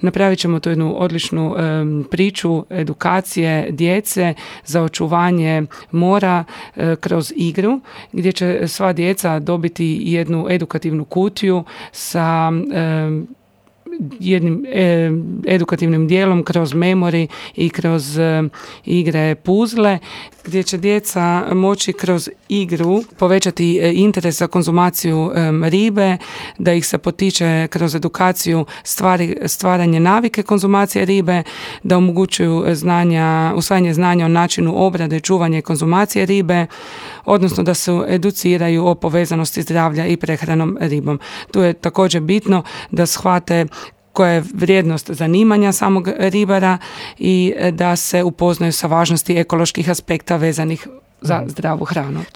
Napravit ćemo tu jednu odličnu priču edukacije djece za očuvanje mora kroz igru, gdje će sva djeca dobiti jednu edukativnu kutiju sa jednim edukativnim dijelom kroz memori i kroz igre puzle, gdje će djeca moći kroz igru povećati interes za konzumaciju ribe, da ih se potiče kroz edukaciju stvaranje navike konzumacije ribe, da omogućuju usvajanje znanja o načinu obrade, čuvanja i konzumacije ribe, odnosno da se educiraju o povezanosti zdravlja i prehranom ribom. Tu je također bitno da shvate koja je vrijednost zanimanja samog ribara i da se upoznaju sa važnosti ekoloških aspekta vezanih za zdravu hranu.